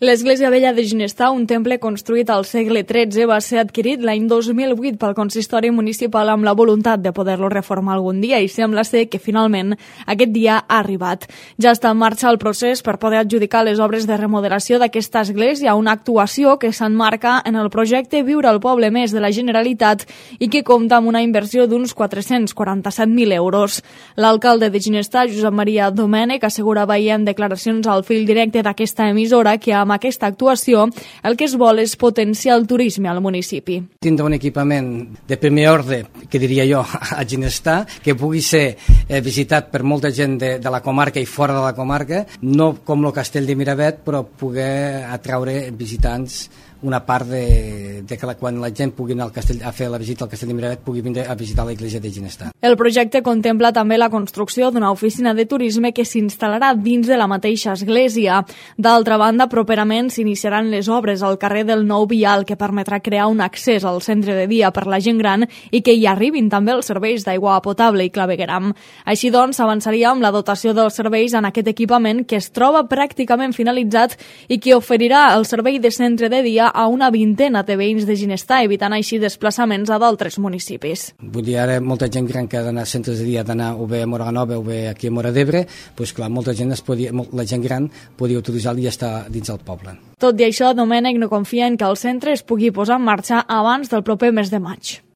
L'església vella de Ginestar, un temple construït al segle XIII, va ser adquirit l'any 2008 pel consistori municipal amb la voluntat de poder-lo reformar algun dia i sembla ser que finalment aquest dia ha arribat. Ja està en marxa el procés per poder adjudicar les obres de remodelació d'aquesta església, una actuació que s'emmarca en el projecte Viure al Poble Més de la Generalitat i que compta amb una inversió d'uns 447.000 euros. L'alcalde de Ginestar, Josep Maria Domènech, assegura veient declaracions al fil directe d'aquesta emissora que amb aquesta actuació el que es vol és potenciar el turisme al municipi. Tindre un equipament de primer ordre, que diria jo, a Ginestar, que pugui ser visitat per molta gent de la comarca i fora de la comarca, no com el Castell de Miravet, però poder atraure visitants una part de que quan la gent pugui anar a fer la visita al Castell de Miravet pugui vindre a visitar l'església de Ginestar. El projecte contempla també la construcció d'una oficina de turisme que s'instal·larà dins de la mateixa església. D'altra banda, properament s'iniciaran les obres al carrer del Nou Vial que permetrà crear un accés al centre de dia per la gent gran i que hi arribin també els serveis d'aigua potable i clavegueram. Així doncs, s'avançaria amb la dotació dels serveis en aquest equipament que es troba pràcticament finalitzat i que oferirà el servei de centre de dia a una vintena de veïns de Ginestar, evitant així desplaçaments a d'altres municipis. Vull dir, ara molta gent gran que ha d'anar a centres de dia, d'anar o bé a Móra Nova o bé aquí a Móra d'Ebre, doncs clar, molta gent la gent gran podia utilitzar-lo i estar dins del poble. Tot i això, Domènech no confia en que el centre es pugui posar en marxa abans del proper mes de maig.